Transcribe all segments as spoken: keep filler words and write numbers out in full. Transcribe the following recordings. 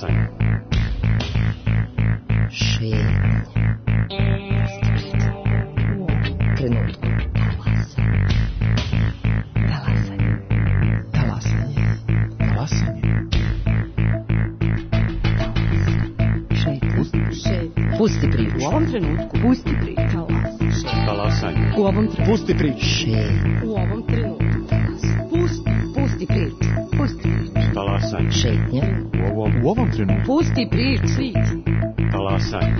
Talasanje. Šetnje. Trenutku. Talasanje. Talasanje. Talasanje. Šetnje. Pusti priču. U ovom trenutku. Pusti priču. Talasanje. U ovom trenutku. Pusti priču. Šetnje. U ovom trenutku. Pusti. Pusti priču. Pusti priču. Talasanje. Šetnje. U ovom, u ovom trenutku. Pusti priču. Talasanje.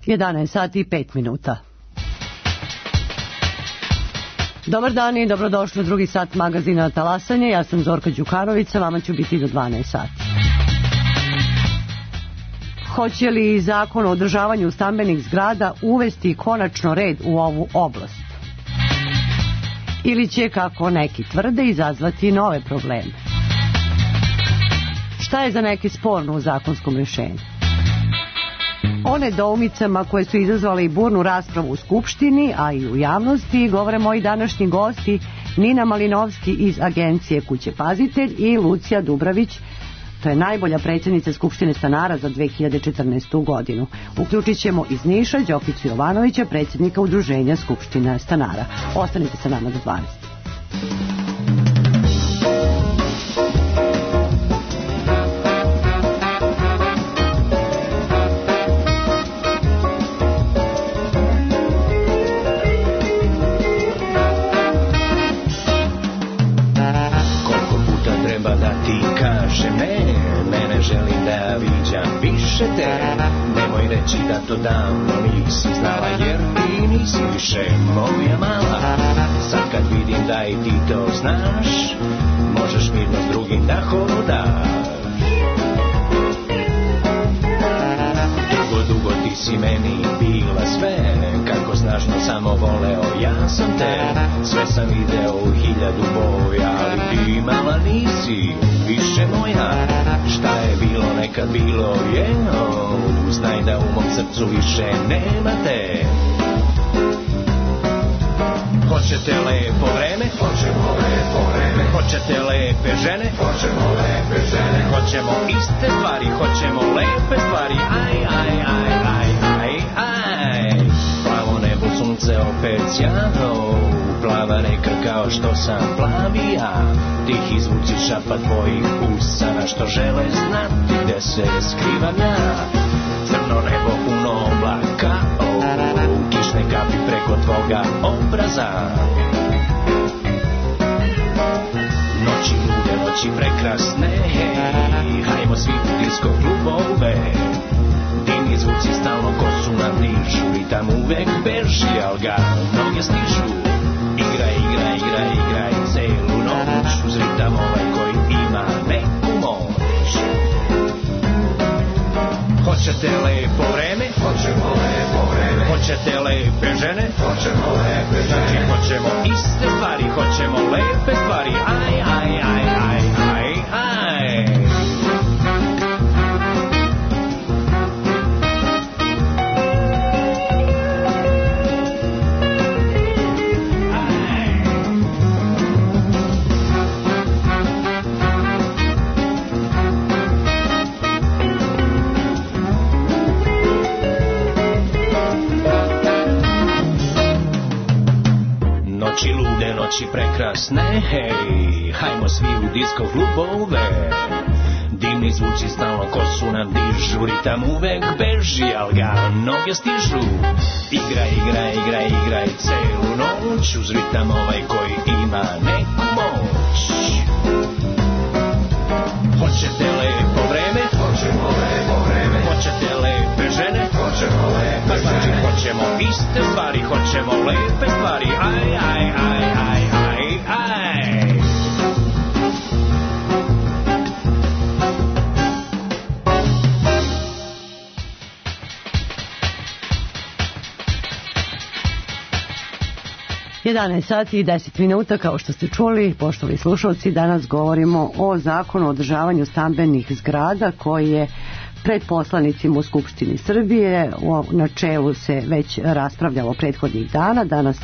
jedanaest sati i pet minuta. Dobar dan i dobrodošli u drugi sat magazina Talasanje. Ja sam Zorka Đukanović, sa vama ću biti do dvanaest sati. Hoće li zakon o održavanju stambenih zgrada uvesti konačno red u ovu oblast? Ili će, kako neki tvrde, izazvati nove probleme? Šta je za neki sporno u zakonskom rješenju? O nedoumicama koje su izazvale i burnu raspravu u Skupštini, a i u javnosti, govore moji današnji gosti Nina Malinovski iz agencije Kuće Pazitelj i Lucija Dubravić, to je najbolja predsjednica Skupštine stanara za dve hiljade četrnaestu. godinu. Uključit ćemo iz Niša Đokicu Jovanovića, predsjednika Udruženja Skupština stanara. Ostanite sa nama do dvanaest. Nemoj reći da to davno nisi znala, jer ti nisi više moja mala. Sad kad vidim da i ti to znaš, možeš mirno s drugim da hodaš. Dugo, dugo ti si meni bila sve, kako snažno samo voleo ja sam te. Sve sam video u hiljadu boja, ali ti mala nisi više moja. Šta je bilo nekad bilo je, oh, znaj da u mom srcu više nema te. Hoćete lepo vreme? Hoćemo lepo vreme. Hoćete lepe žene? Hoćemo lepe žene. Hoćemo iste stvari, hoćemo lepe stvari. Aj, aj, aj, aj, aj, aj. Plavo nebo, sunce opet sjano, plava reka kao što sam plavi ja. Tihi zvuci šapa tvojih usana što žele znati gde se skrivam ja. Crno nebo puno oblaka, oh, kišne kapi preko tvoga obraza. Noći lude, noći prekrasne, hej, hajmo svi u disko klubove. Dimni zvuci stalno kosu nam dižu i tam uvek beži, al ga noge stižu. Igraj, igraj, igraj, igraj celu noć uz ritam ovaj koji ima neku moć. Hoćete lepo vreme? Hoćemo lepo vreme. Hoćete lepe žene? Hoćemo lepe žene. Znači hoćemo iste stvari, hoćemo lepe stvari. Aj, aj, aj, aj, aj, aj. Noći lude, noći prekrasne, hej, hajmo svi u disko klubove. Dimni zvuci stalno kosu nam dižu, ritam uvek beži, al ga noge stižu. Igraj, igraj, igraj, igraj celu noć uz ritam ovaj koji ima neku moć. Hoćete lepo vreme? Hoćemo lepo vreme. Hoćete lepe žene? Hoćemo lepe žene. Znači hoćemo iste stvari, hoćemo lepe stvari. Aj, aj, aj, aj, aj, aj. jedanaest sati i deset minuta, kao što ste čuli, poštovani slušalci, danas govorimo o zakonu o održavanju stambenih zgrada koji je pred poslanicima u Skupštini Srbije. U načelu se već raspravljalo prethodnih dana. Danas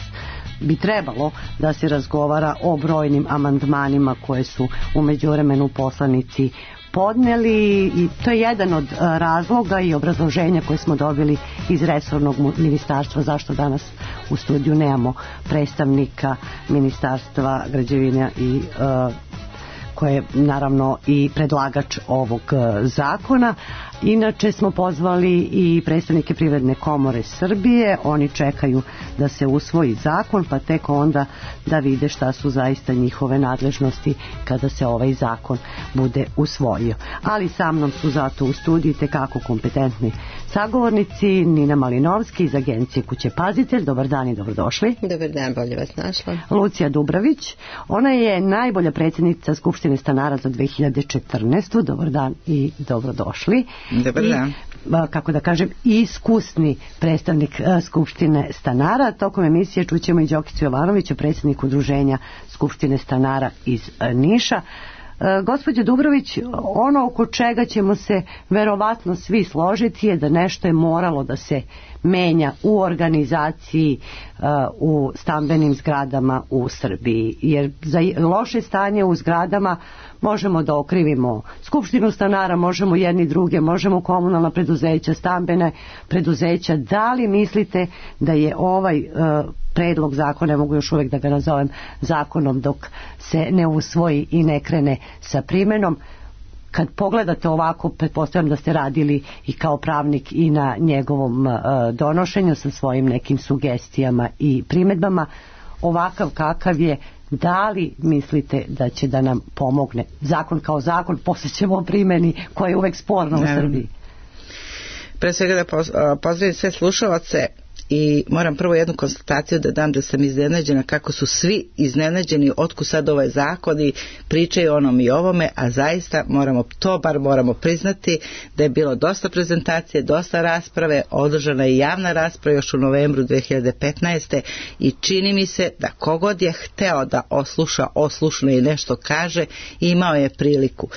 bi trebalo da se razgovara o brojnim amandmanima koje su u međuvremenu poslanici podneli, i to je jedan od razloga i obrazloženja koje smo dobili iz resornog ministarstva zašto danas u studiju nemamo predstavnika Ministarstva građevine i uh, koje je naravno i predlagač ovog zakona. Inače smo pozvali i predstavnike Privredne komore Srbije, oni čekaju da se usvoji zakon, pa tek onda da vide šta su zaista njihove nadležnosti kada se ovaj zakon bude usvojio. Ali sa mnom su zato u studiju tekako kompetentni sagovornici. Nina Malinovski iz agencije Kuće Pazitelj, dobar dan i dobrodošli. Dobar dan, bolje vas našla. Lucija Dubravić, ona je najbolja predsjednica Skupštine stanara za dve hiljade četrnaestu. Dobar dan i dobrodošli. Dobar dan. I, kako da kažem, iskusni predstavnik Skupštine stanara. Tokom emisije čućemo i Đokicu Jovanovića, predsjednik udruženja Skupštine stanara iz Niša. Gospođo Dubrović, ono oko čega ćemo se verovatno svi složiti je da nešto je moralo da se menja u organizaciji uh, u stambenim zgradama u Srbiji, jer za loše stanje u zgradama možemo da okrivimo Skupštinu stanara, možemo jedni druge, možemo komunalna preduzeća, stambene preduzeća. Da li mislite da je ovaj uh, predlog zakona, ne mogu još uvijek da ga nazovem zakonom dok se ne usvoji i ne krene sa primenom, kad pogledate ovako, pretpostavljam da ste radili i kao pravnik i na njegovom uh, donošenju sa svojim nekim sugestijama i primjedbama, ovakav kakav je, da li mislite da će da nam pomogne zakon kao zakon, poslije ćemo o primjeni koja je uvek sporna u Srbiji? Pre svega da pozdravim sve slušalce i moram prvo jednu konstataciju da dam, da sam iznenađena kako su svi iznenađeni otkud sad ovaj zakon i pričaju onom i ovome, a zaista moramo, to bar moramo priznati da je bilo dosta prezentacije, dosta rasprave, održana je javna rasprava još u novembru dve hiljade petnaeste. i čini mi se da kogod je hteo da osluša, oslušne i nešto kaže, imao je priliku.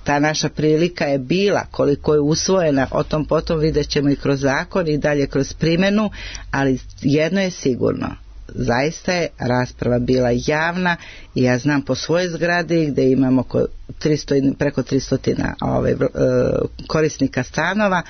Ta naša prilika je bila, koliko je usvojena, o tom potom vidjet ćemo i kroz zakon i dalje kroz primjenu, ali jedno je sigurno, zaista je rasprava bila javna i ja znam po svojoj zgradi gdje imamo oko tristo, preko tristo ove, korisnika stanova,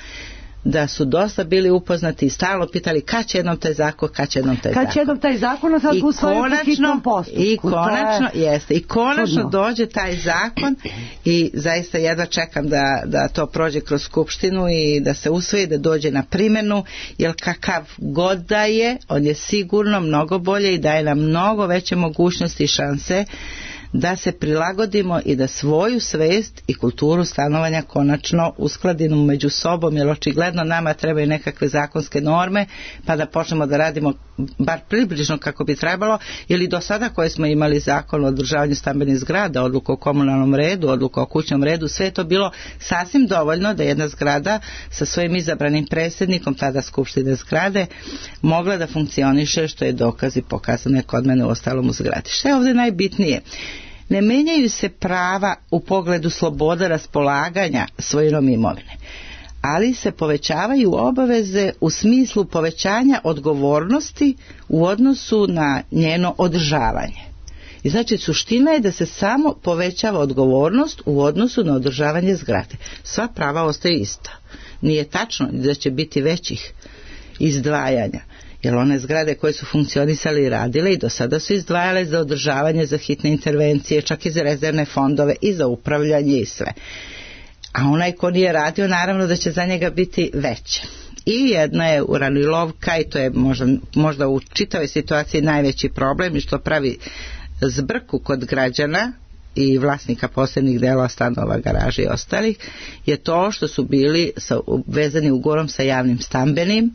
da su dosta bili upoznati i stalno pitali kad će jednom taj zakon, kad će jednom taj kad zakon. će jednom taj zakon, a sad usvojio po hitnom postupku. I konačno, je jeste, i konačno čudno. Dođe taj zakon i zaista jedva čekam da, da to prođe kroz Skupštinu i da se usvoji, da dođe na primjenu, jer kakav god da je, on je sigurno mnogo bolje i daje nam mnogo veće mogućnosti i šanse da se prilagodimo i da svoju svest i kulturu stanovanja konačno uskladimo među sobom, jer očigledno nama trebaju nekakve zakonske norme pa da počnemo da radimo bar približno kako bi trebalo, ili do sada koje smo imali zakon o održavanju stambenih zgrada, odluku o komunalnom redu, odluku o kućnom redu, sve je to bilo sasvim dovoljno da jedna zgrada sa svojim izabranim predsjednikom, tada skupštine zgrade, mogla da funkcioniše, što je dokaz i pokazano je kod mene u ostalom u zgradi. Što je ovdje najbitnije? Ne menjaju se prava u pogledu sloboda raspolaganja svojinom imovine, ali se povećavaju obaveze u smislu povećanja odgovornosti u odnosu na njeno održavanje. I znači suština je da se samo povećava odgovornost u odnosu na održavanje zgrade. Sva prava ostaju ista. Nije tačno da će biti većih izdvajanja, jer one zgrade koje su funkcionisale i radile i do sada su izdvajale za održavanje, za hitne intervencije, čak i za rezervne fondove i za upravljanje i sve. A onaj ko nije radio, naravno da će za njega biti veće. I jedna je uranilovka i to je možda, možda u čitavoj situaciji najveći problem i što pravi zbrku kod građana i vlasnika posebnih delova stanova, garaža i ostalih, je to što su bili sa, vezani ugovorom sa javnim stambenim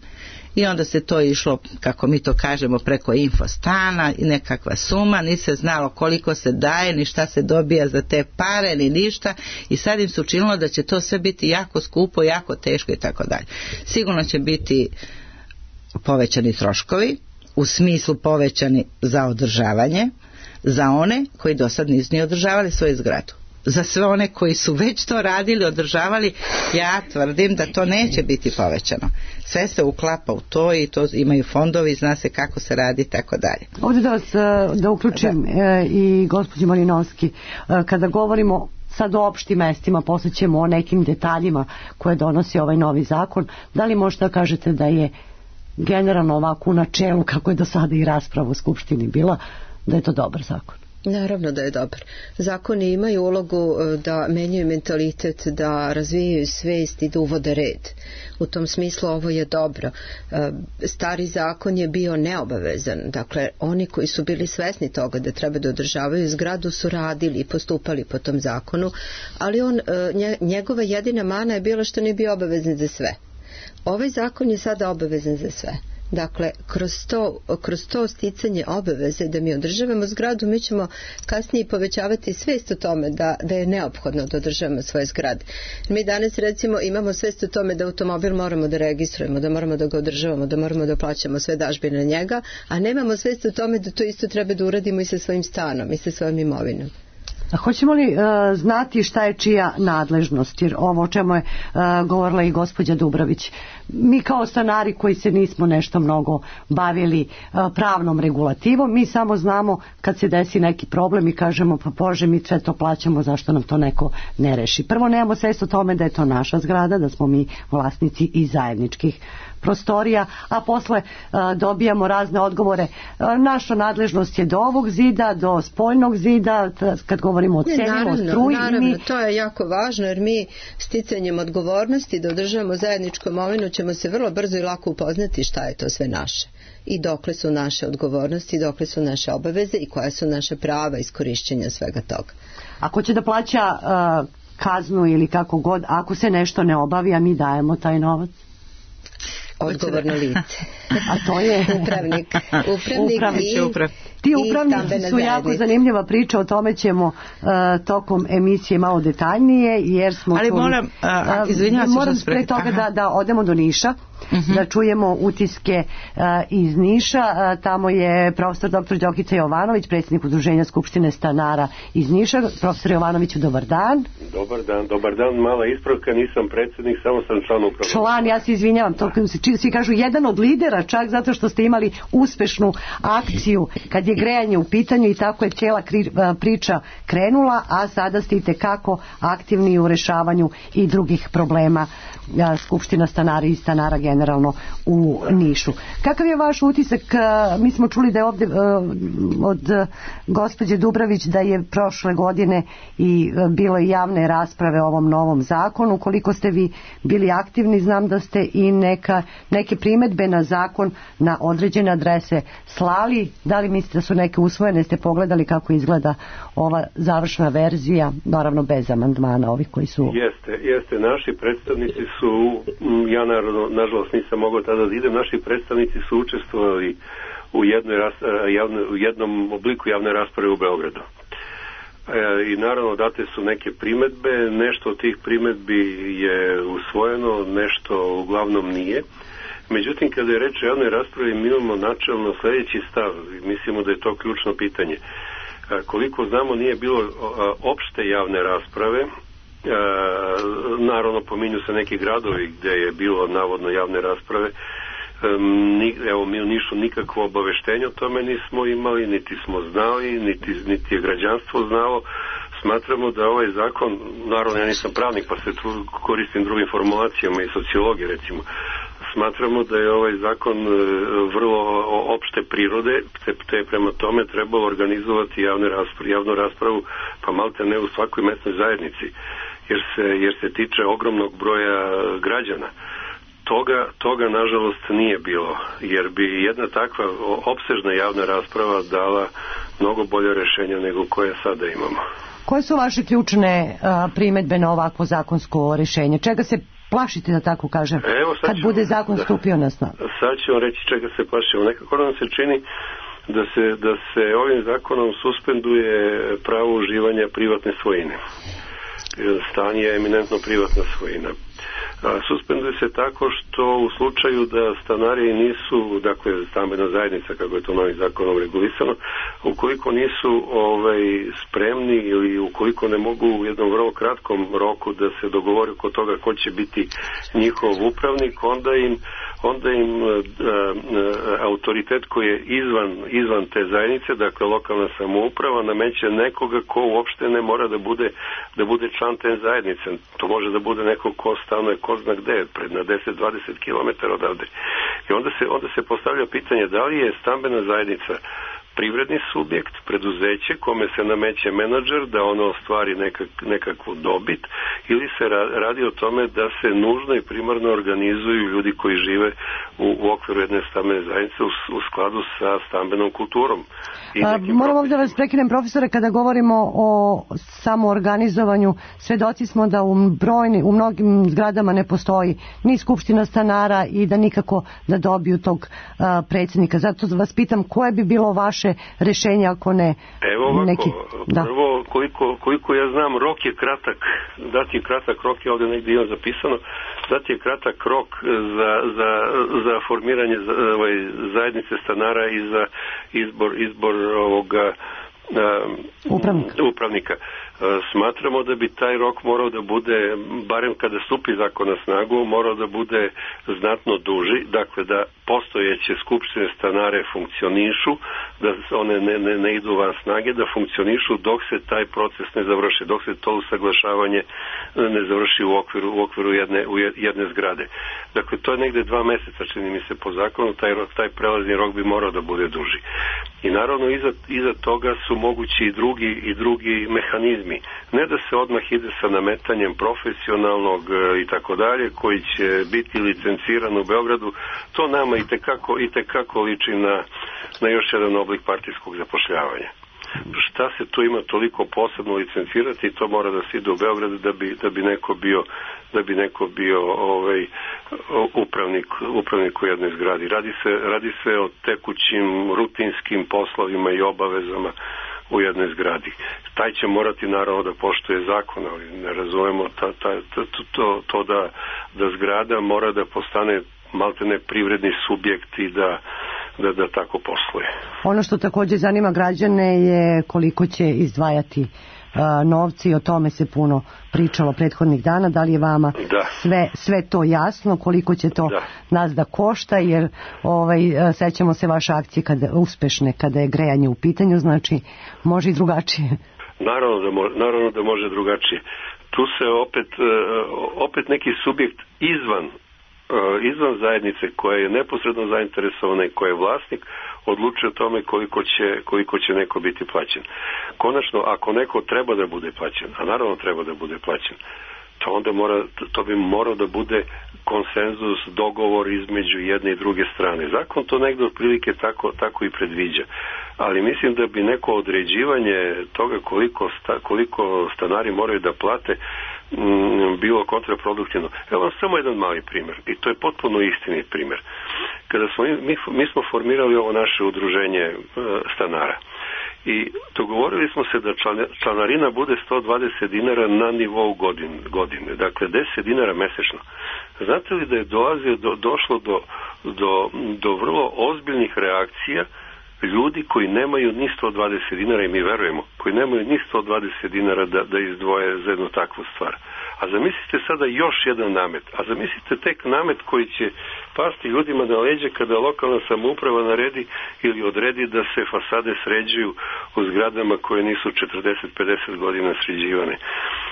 i onda se to išlo, kako mi to kažemo, preko infostana i nekakva suma, ni se znalo koliko se daje, ni šta se dobija za te pare, ni ništa, i sad im se učinilo da će to sve biti jako skupo, jako teško i tako dalje. Sigurno će biti povećani troškovi u smislu povećani za održavanje za one koji do sad nisu ni održavali svoju zgradu. Za sve one koji su već to radili, održavali, ja tvrdim da to neće biti povećano. Sve se uklapa u to i to imaju fondovi, zna se kako se radi, tako dalje. Ovdje da vas da uključim da. i gospođu Malinovski, kada govorimo sad o opštim mestima, posle ćemo o nekim detaljima koje donosi ovaj novi zakon, da li možete da kažete da je generalno ovako u načelu, kako je do sada i rasprava u Skupštini bila, da je to dobar zakon? Naravno da je dobar. Zakoni imaju ulogu da menjaju mentalitet, da razvijaju svest i da uvode red. U tom smislu ovo je dobro. Stari zakon je bio neobavezan. Dakle, oni koji su bili svesni toga da treba da održavaju zgradu su radili i postupali po tom zakonu, ali on, njegova jedina mana je bila što nije bio obavezan za sve. Ovaj zakon je sada obavezan za sve. Dakle, kroz to, kroz to sticanje obaveze da mi održavamo zgradu, mi ćemo kasnije povećavati svest o tome da, da je neophodno da održavamo svoje zgrade. Mi danas recimo imamo svest o tome da automobil moramo da registrujemo, da moramo da ga održavamo, da moramo da plaćamo sve dažbine na njega, a nemamo svest o tome da to isto treba da uradimo i sa svojim stanom i sa svojom imovinom. A hoćemo li uh, znati šta je čija nadležnost, jer ovo o čemu je uh, govorila i gospođa Dubravić, mi kao stanari koji se nismo nešto mnogo bavili uh, pravnom regulativom, mi samo znamo kad se desi neki problem i kažemo pa Bože, mi sve to plaćamo, zašto nam to neko ne reši. Prvo, nemamo svest o tome da je to naša zgrada, da smo mi vlasnici i zajedničkih prostorija, a posle a, dobijamo razne odgovore. A, naša nadležnost je do ovog zida, do spoljnog zida, t, kad govorimo o cenima, o struji. Naravno, mi... to je jako važno, jer mi sticanjem odgovornosti da održavamo zajedničku imovinu ćemo se vrlo brzo i lako upoznati šta je to sve naše. I dokle su naše odgovornosti, dokle su naše obaveze i koja su naše prava iskorišćenja svega toga. Ako će da plaća a, kaznu ili kako god, ako se nešto ne obavi, a mi dajemo taj novac? Odgovorno lice. A to je upravnik. Upravnik, upravnik i, uprav. Ti upravnici su jako zanimljiva priča, o tome ćemo uh, tokom emisije malo detaljnije, jer smo ali čuli, moram, uh, izvinjavam se moram pre toga da, da odemo do Niša, uh-huh. da čujemo utiske uh, iz Niša. Uh, tamo je profesor doktor Đokica Jovanović, predsjednik Udruženja Skupštine stanara iz Niša. Profesor Jovanoviću, dobar dan. Dobar dan, dobar dan, mala ispravka, nisam predsjednik, samo sam član uprave. Član, ja se izvinjavam, to svi kažu jedan od lidera, čak zato što ste imali uspešnu akciju kad je grejanje u pitanju i tako je cijela priča krenula, a sada ste itekako aktivni u rešavanju i drugih problema Skupština stanara i stanara generalno u Nišu. Kakav je vaš utisak? Mi smo čuli da je ovdje od gospođe Dubravić da je prošle godine i bilo i javne rasprave o ovom novom zakonu. Koliko ste vi bili aktivni, znam da ste i neka, neke primedbe na zakon na određene adrese slali. Da li mislite da su neke usvojene? Ste pogledali kako izgleda ova završna verzija, naravno bez amandmana ovih koji su... Jeste, jeste. Naši predstavnici su, ja naravno, nažalost nisam mogao tada da idem, naši predstavnici su učestvovali u, jednoj, javne, u jednom obliku javne rasprave u Beogradu. E, I naravno date su neke primedbe, nešto od tih primedbi je usvojeno, nešto uglavnom nije. Međutim, kada je reč o javnoj raspravi, mi imamo načelno sljedeći stav, mislimo da je to ključno pitanje. E, koliko znamo, nije bilo opšte javne rasprave. E, naravno pominju se neki gradovi gdje je bilo navodno javne rasprave. E, ni, evo mi u Nišu nikakvo obaveštenje o tome nismo imali, niti smo znali, niti, niti je građanstvo znalo. Smatramo da ovaj zakon, naravno ja nisam pravnik pa se tu koristim drugim formulacijama i sociologije recimo, smatramo da je ovaj zakon vrlo opšte prirode, te prema tome trebalo organizovati javne raspravu, javnu raspravu, pa malte ne u svakoj mesnoj zajednici, jer se, jer se tiče ogromnog broja građana. Toga, toga nažalost nije bilo, jer bi jedna takva opsežna javna rasprava dala mnogo bolje rješenja nego koje sada imamo. Koje su vaše ključne a, primedbe na ovakvo zakonsko rješenje? Čega se plašite, da tako kažem, Evo, kad ću, bude zakon da, stupio na snagu? Sad ću vam reći čega se plašimo. Nekako nam se čini da se, da se ovim zakonom suspenduje pravo uživanja privatne svojine. Stan je eminentno privatna svojina. Suspenduje se tako što u slučaju da stanari nisu, dakle stambena zajednica kako je to novim zakonom regulisano, ukoliko nisu ovaj, spremni ili ukoliko ne mogu u jednom vrlo kratkom roku da se dogovori oko toga ko će biti njihov upravnik, onda im onda im a, a, autoritet koji je izvan, izvan te zajednice, dakle lokalna samouprava, nameće nekoga ko uopšte ne mora da bude, da bude član te zajednice. To može da bude neko ko stanuje ko zna gde, pred na deset do dvadeset kilometara odavde. I onda se, onda se postavlja pitanje da li je stambena zajednica privredni subjekt, preduzeće kome se nameće menadžer da ono ostvari nekak, nekakvu dobit, ili se radi o tome da se nužno i primarno organizuju ljudi koji žive u, u okviru jedne stambene zajednice u, u skladu sa stambenom kulturom. A, moram ovdje vas prekinem, profesore, kada govorimo o samoorganizovanju, svedoci smo da u brojni, u mnogim zgradama ne postoji ni skupština stanara i da nikako da dobiju tog a, predsjednika. Zato vas pitam koje bi bilo vaše rešenje ako ne Evo ovako, neki... Da. Prvo, koliko, koliko ja znam, rok je kratak, dati je kratak rok, je ovdje negdje imam zapisano, dati je kratak rok za, za, za formiranje ovaj, zajednice stanara i za izbor, izbor ovoga upravnika. upravnika. Smatramo da bi taj rok morao da bude, barem kada stupi zakon na snagu, morao da bude znatno duži, dakle da postojeće skupštine stanare funkcionišu, da one ne, ne, ne idu van snage, da funkcionišu dok se taj proces ne završi, dok se to usaglašavanje ne završi u okviru, u okviru jedne, u jedne zgrade. Dakle, to je negde dva meseca, čini mi se po zakonu, taj, rok, taj prelazni rok bi morao da bude duži. I naravno iza, iza toga su mogući i drugi, i drugi mehanizmi. Ne da se odmah ide sa nametanjem profesionalnog i tako dalje, koji će biti licenciran u Beogradu, to nama i tekako, i tekako liči na, na još jedan oblik partijskog zapošljavanja. Šta se tu ima toliko posebno licencirati, i to mora da se ide u Beogradu da bi, da bi neko bio da bi neko bio ovaj upravnik, upravnik u jednoj zgradi. Radi se, radi se o tekućim, rutinskim poslovima i obavezama u jednoj zgradi. Taj će morati naravno da poštuje zakon, ali ne razumemo ta, ta, ta, to, to da, da zgrada mora da postane maltene privredni subjekt i da Da, da tako posluje. Ono što također zanima građane je koliko će izdvajati a, novci, o tome se puno pričalo prethodnih dana. Da li je vama da. sve, sve to jasno, koliko će to da. nas da košta, jer ovaj, sećamo se vaše akcije kada, uspešne kada je grejanje u pitanju, znači može i drugačije. Naravno da, mo, naravno da može drugačije. Tu se opet, opet neki subjekt izvan izvan zajednice koja je neposredno zainteresovana i koja je vlasnik odlučuje o tome koliko će, koliko će neko biti plaćen. Konačno, ako neko treba da bude plaćen, a naravno treba da bude plaćen, to onda mora, to bi morao da bude konsenzus, dogovor između jedne i druge strane. Zakon to negdje otprilike tako, tako i predviđa. Ali mislim da bi neko određivanje toga koliko, sta, koliko stanari moraju da plate m, bilo kontraproduktivno. Evo vam samo jedan mali primjer, i to je potpuno istinit primjer. Kada smo, mi, mi smo formirali ovo naše udruženje e, stanara i dogovorili smo se da članarina bude sto dvadeset dinara na nivou godine, godine, dakle deset dinara mesečno. Znate li da je dolazio do, došlo do, do, do vrlo ozbiljnih reakcija ljudi koji nemaju ni sto dvadeset dinara, i mi verujemo, koji nemaju ni sto dvadeset dinara da, da izdvoje za jednu takvu stvar. A zamislite sada još jedan namet, a zamislite tek namet koji će pasti ljudima na leđe kada lokalna samouprava naredi ili odredi da se fasade sređuju u zgradama koje nisu četrdeset do pedeset godina sređivane.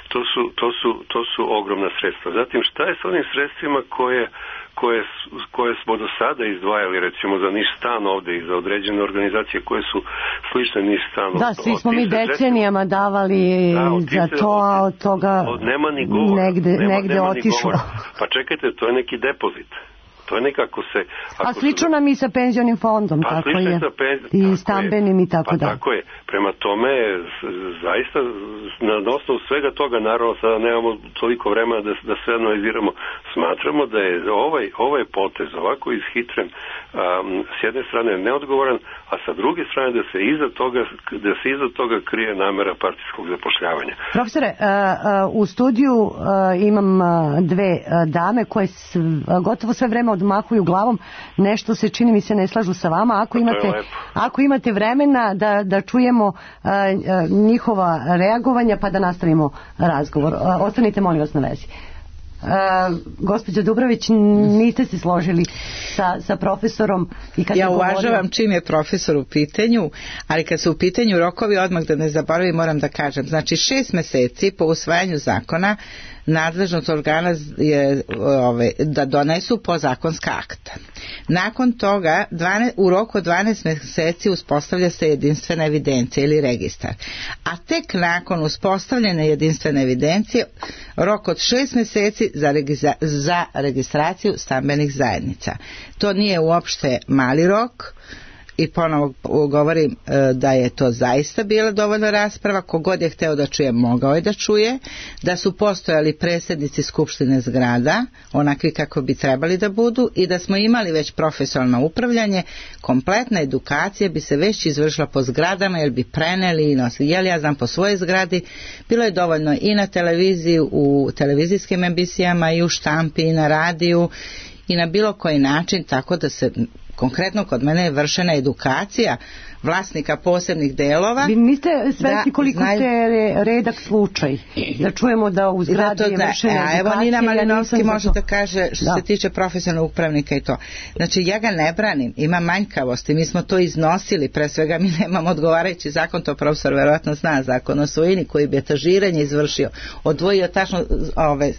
To su, to su, to su ogromna sredstva. Zatim, šta je s onim sredstvima koje Koje, koje smo do sada izdvajali, recimo za Niš stan ovdje i za određene organizacije koje su slične Niš stanu. Da, svi smo mi decenijama davali da, za to, a od toga od, nema ni govora, negde, nema, negde nema otišlo. Pa čekajte, to je neki depozit. to je nekako se... A slično nam i sa penzionim fondom, pa, tako je, sa penz... i tako stambenim je. i tako pa, da. Tako je, prema tome, zaista, na osnovu svega toga, naravno, sada nemamo toliko vremena da, da sve analiziramo, smatramo da je ovaj, ovaj potez ovako ishitren, um, s jedne strane neodgovoran, a sa druge strane da se iza toga, da se iza toga krije namera partijskog zapošljavanja. Profesore, u studiju imam dve dame koje gotovo sve vreme odmahuju glavom, nešto se čini mi se ne slažu sa vama. Ako imate, ako imate vremena da, da čujemo njihova reagovanja pa da nastavimo razgovor. Ostanite molim vas na vezi. Uh, gospođo Dubrović, niste se složili sa, sa profesorom i kad ja govorio... uvažavam čim je profesor u pitanju, ali kad su u pitanju rokovi, odmah da ne zaboravim, moram da kažem, znači šest meseci po usvajanju zakona nadležnost organa je ove, da donesu podzakonska akta. Nakon toga dvanaest, u roku od dvanaest meseci uspostavlja se jedinstvena evidencija ili registar. A tek nakon uspostavljene jedinstvene evidencije rok od šest meseci za, registra, za registraciju stambenih zajednica. To nije uopšte mali rok. I ponovo govorim da je to zaista bila dovoljna rasprava, kogod je hteo da čuje mogao je da čuje, da su postojali predsjednici skupštine zgrada onakvi kako bi trebali da budu i da smo imali već profesionalno upravljanje, kompletna edukacija bi se već izvršila po zgradama jer bi preneli i nosili. Jel ja znam po svojoj zgradi, bilo je dovoljno i na televiziji, u televizijskim emisijama i u štampi i na radiju i na bilo koji način, tako da se konkretno kod mene je vršena edukacija vlasnika posebnih delova. Vi niste svesni koliko znaju... te redak slučaj. Da čujemo da u zgradi je vršena edukacija. Evo Nina Malinovski ja može da kaže što da. se tiče profesionalnog upravnika i to. Znači ja ga ne branim, ima manjkavosti, mi smo to iznosili, pre svega mi nemamo odgovarajući zakon, to profesor verovatno zna, zakon o svojini koji bi etažiranje izvršio, odvojio tačno ove,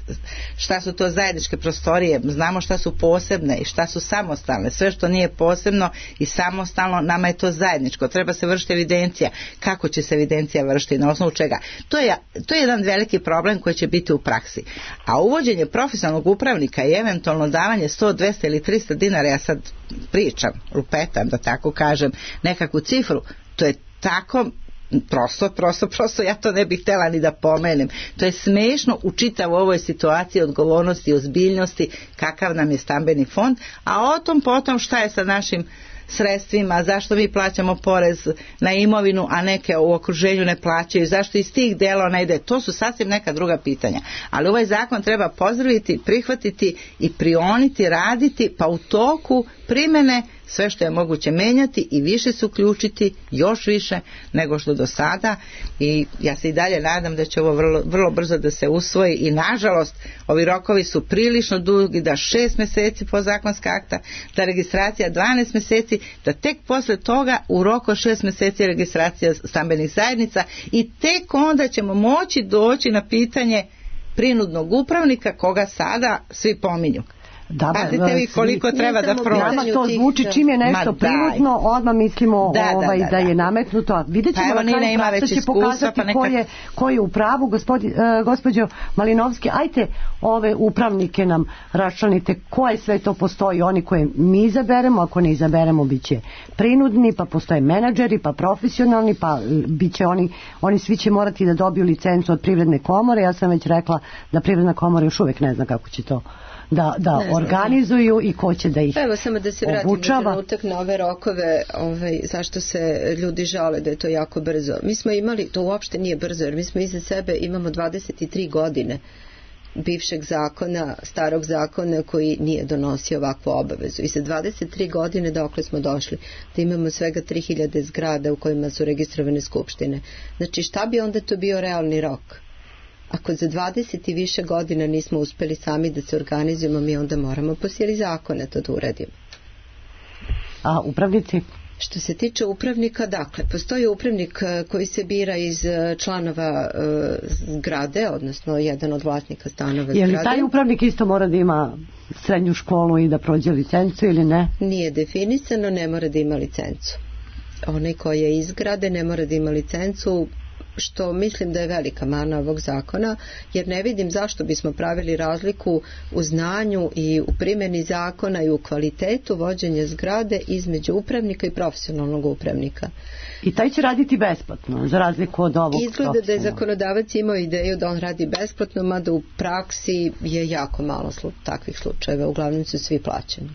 šta su to zajedničke prostorije, znamo šta su posebne i šta su samostalne, sve što nije posebno i samostalno, nama je to zajedničko, treba se vršiti evidencija, kako će se evidencija vršiti, na osnovu čega. To je, to je jedan veliki problem koji će biti u praksi. A uvođenje profesionalnog upravnika i eventualno davanje sto, dvesta ili trista dinara, ja sad pričam, lupetam da tako kažem, nekakvu cifru, to je tako prosto, prosto, prosto ja to ne bih htjela ni da pomenem. To je smešno u čitavoj ovoj situaciji odgovornosti i ozbiljnosti kakav nam je stambeni fond, a o tom potom šta je sa našim sredstvima, zašto mi plaćamo porez na imovinu, a neke u okruženju ne plaćaju, zašto iz tih dela ne ide, to su sasvim neka druga pitanja. Ali ovaj zakon treba pozdraviti, prihvatiti i prioniti, raditi, pa u toku primene sve što je moguće menjati i više se uključiti, još više nego što do sada, i ja se i dalje nadam da će ovo vrlo, vrlo brzo da se usvoji i nažalost ovi rokovi su prilično dugi, da šest meseci po zakonska akta, da registracija dvanaest meseci, da tek posle toga u roku šest meseci registracija stambenih zajednica i tek onda ćemo moći doći na pitanje prinudnog upravnika koga sada svi pominju. Da, pazite vi koliko treba da prođe. Nama to zvuči čim je nešto prinudno, odmah mislimo da, ovaj, da, da, da, da. je nametnuto. Vidjet ćemo pa na kraju praksa će pokazati pa neka... ko, je, ko je u pravu. Gospodi, uh, gospođo Malinovski, ajte ove upravnike nam raščlanite koje sve to postoji. Oni koje mi izaberemo, ako ne izaberemo bit će prinudni, pa postoje menadžeri, pa profesionalni, pa bit će oni, oni svi će morati da dobiju licencu od Privredne komore. Ja sam već rekla da Privredna komora još uvijek ne zna kako će to da, da organizuju i ko će da ih Evo samo da se vratim obučava. na trenutak na ove rokove, ovaj, zašto se ljudi žale da je to jako brzo. Mi smo imali, to uopšte nije brzo, jer mi smo iza sebe imamo dvadeset tri godine bivšeg zakona, starog zakona koji nije donosio ovakvu obavezu. I za dvadeset tri godine dokle smo došli da imamo svega tri hiljade zgrada u kojima su registrovane skupštine. Znači šta bi onda to bio realni rok? Ako za dvadeset i više godina nismo uspeli sami da se organizujemo, mi onda moramo po sili zakona to da uradimo. A upravnici? Što se tiče upravnika, dakle, postoji upravnik koji se bira iz članova e, zgrade, odnosno jedan od vlasnika stanova zgrade. Je li taj upravnik isto mora da ima srednju školu i da prođe licencu ili ne? Nije definisano, ne mora da ima licencu. Onaj koji je iz zgrade ne mora da ima licencu, što mislim da je velika mana ovog zakona, jer ne vidim zašto bismo pravili razliku u znanju i u primjeni zakona i u kvalitetu vođenja zgrade između upravnika i profesionalnog upravnika. I taj će raditi besplatno, za razliku od ovog. Izgleda da je zakonodavac imao ideju da on radi besplatno, mada u praksi je jako malo slu, takvih slučajeva, uglavnom su svi plaćeni.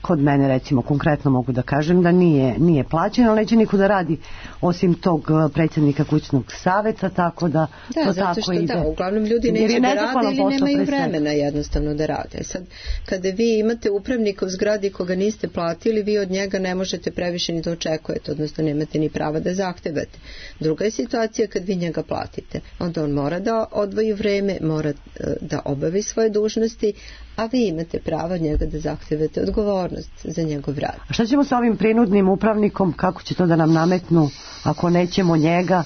Kod mene recimo konkretno mogu da kažem da nije, nije plaćeno, ali neće niko da radi osim tog predsjednika kućnog saveta, tako da da, to zato tako što, ide. Da, uglavnom ljudi neće da rade ili nemaju vremena jednostavno da rade. Sad, kada vi imate upravnika u zgradi koga niste platili, vi od njega ne možete previše ni da očekujete, odnosno nemate ni prava da zahtevate. Druga je situacija kad vi njega platite. Onda on mora da odvoji vreme, mora da obavi svoje dužnosti, a vi imate pravo od njega da zahtevate odgovornost za njegov rad. A šta ćemo sa ovim prinudnim upravnikom, kako će to da nam nametnu ako nećemo njega?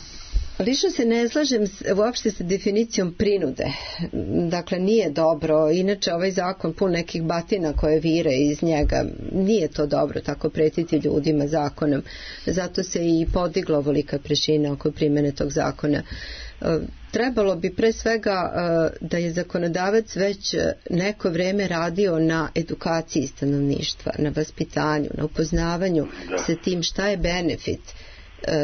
Lično se ne slažem uopšte sa definicijom prinude. Dakle, nije dobro. Inače, ovaj zakon pun nekih batina koje vire iz njega. Nije to dobro tako pretiti ljudima zakonom. Zato se i podigla ovolika prašina oko primjene tog zakona. Trebalo bi pre svega da je zakonodavac već neko vreme radio na edukaciji stanovništva, na vaspitanju, na upoznavanju da. Sa tim šta je benefit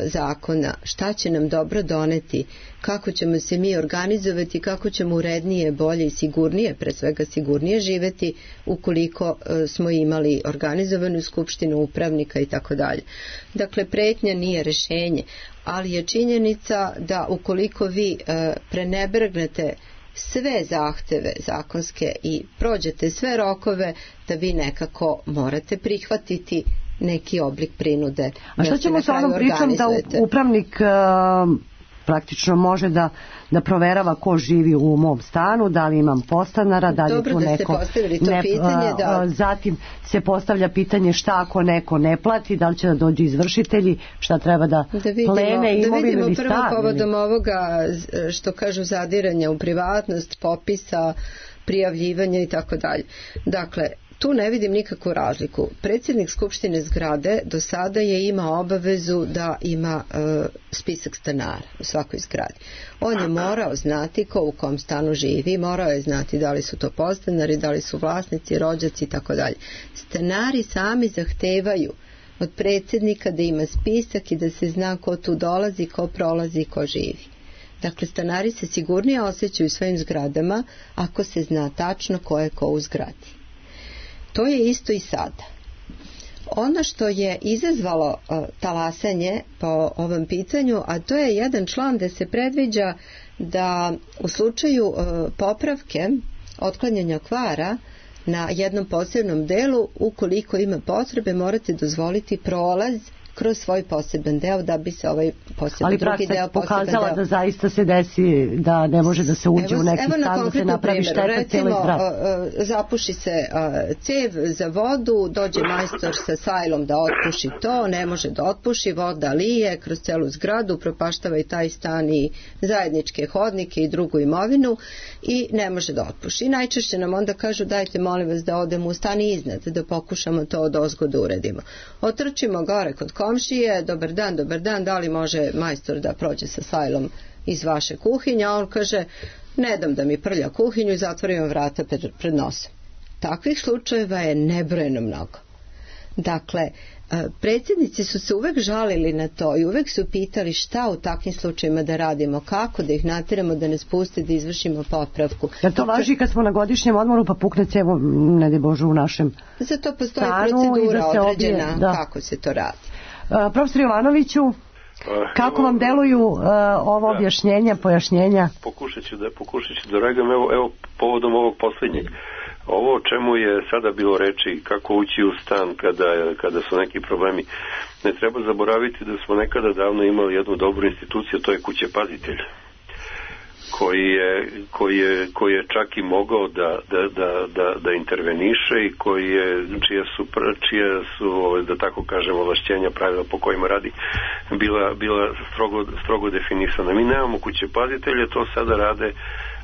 zakona, šta će nam dobro doneti, kako ćemo se mi organizovati, kako ćemo urednije, bolje i sigurnije, pre svega sigurnije živeti ukoliko smo imali organizovanu skupštinu upravnika i tako dalje. Dakle, pretnja nije rešenje, ali je činjenica da ukoliko vi prenebrgnete sve zahteve zakonske i prođete sve rokove, da vi nekako morate prihvatiti neki oblik prinude. A šta ćemo sa onom pričom da upravnik uh, praktično može da, da proverava ko živi u mom stanu, da li imam podstanara, da li Dobro tu da neko... Dobro da ste postavili to ne, pitanje. Da... Zatim se postavlja pitanje šta ako neko ne plati, da li će da dođu izvršitelji, šta treba da, da vidimo, plene imovinu ili stan. Da vidimo prvo povodom ovoga što kažu zadiranja u privatnost, popisa, prijavljivanja i tako dalje. Dakle, tu ne vidim nikakvu razliku. Predsjednik skupštine zgrade do sada je imao obavezu da ima e, spisak stanara u svakoj zgradi. On je morao znati ko u kom stanu živi, morao je znati da li su to podstanari, da li su vlasnici, rođaci i tako dalje. Stanari sami zahtevaju od predsjednika da ima spisak i da se zna ko tu dolazi, ko prolazi i ko živi. Dakle, stanari se sigurnije osjećaju u svojim zgradama ako se zna tačno ko je ko u zgradi. To je isto i sada. Ono što je izazvalo uh, talasanje po ovom pitanju, a to je jedan član gde se predviđa da u slučaju uh, popravke, otklanjanja kvara na jednom posebnom delu, ukoliko ima potrebe, morate dozvoliti prolaz kroz svoj poseban deo da bi se ovaj poseban ali drugi deo pokazala deo... da zaista se desi da ne može da se uđe evo, u neki stan da se napravi šteta cijeloj zgradi. Zapuši se uh, cev za vodu, dođe majstor sa sajlom da otpuši to, ne može da otpuši, voda lije kroz celu zgradu, propaštava i taj stan i zajedničke hodnike i drugu imovinu i ne može da otpuši. I najčešće nam onda kažu dajte molim vas da odemo u stan iznad, da pokušamo to od ozgo da uredimo. Otrčimo gore kod komšije, dobar dan, dobar dan, da li može majstor da prođe sa sajlom iz vaše kuhinje, a on kaže ne dam da mi prlja kuhinju i zatvorimo vrata pred, pred nosom. Takvih slučajeva je nebrojeno mnogo. Dakle, predsjednici su se uvek žalili na to i uvek su pitali šta u takvim slučajima da radimo, kako da ih nateramo da nas puste da izvršimo popravku. Jer to važi kad smo na godišnjem odmoru pa pukne cevo, ne de Bože, u našem za to postoji procedura da određena obje, da. Kako se to radi. Uh, profesor Jovanoviću, kako vam deluju uh, ovo da. objašnjenja, pojašnjenja? Pokušat ću da, pokušat ću da reagujem, evo, evo povodom ovog posljednjeg. Ovo o čemu je sada bilo reči, kako ući u stan kada, kada su neki problemi, ne treba zaboraviti da smo nekada davno imali jednu dobru instituciju, to je kućepazitelj, koji je, koji je, koji je čak i mogao da, da, da, da, da interveniše i koji je, čije su, čije su, da tako kažem, ovlašćenja, pravila po kojima radi, bila, bila strogo, strogo definisana. Mi nemamo kućepazitelje, to sada rade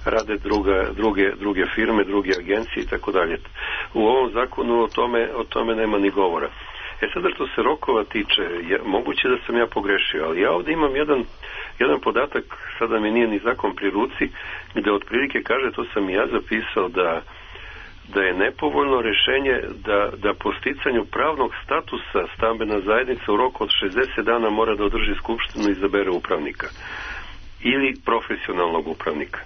rade druga, druge, druge firme, druge agencije i tako dalje. U ovom zakonu o tome, o tome nema ni govora. E sada što se rokova tiče, ja, moguće da sam ja pogrešio, ali ja ovdje imam jedan, jedan podatak, sada mi nije ni zakon pri ruci, gde otprilike kaže, to sam i ja zapisao, da da je nepovoljno rešenje da, da po sticanju pravnog statusa stambena zajednica u roku od šezdeset dana mora da održi skupštinu i izabere upravnika ili profesionalnog upravnika.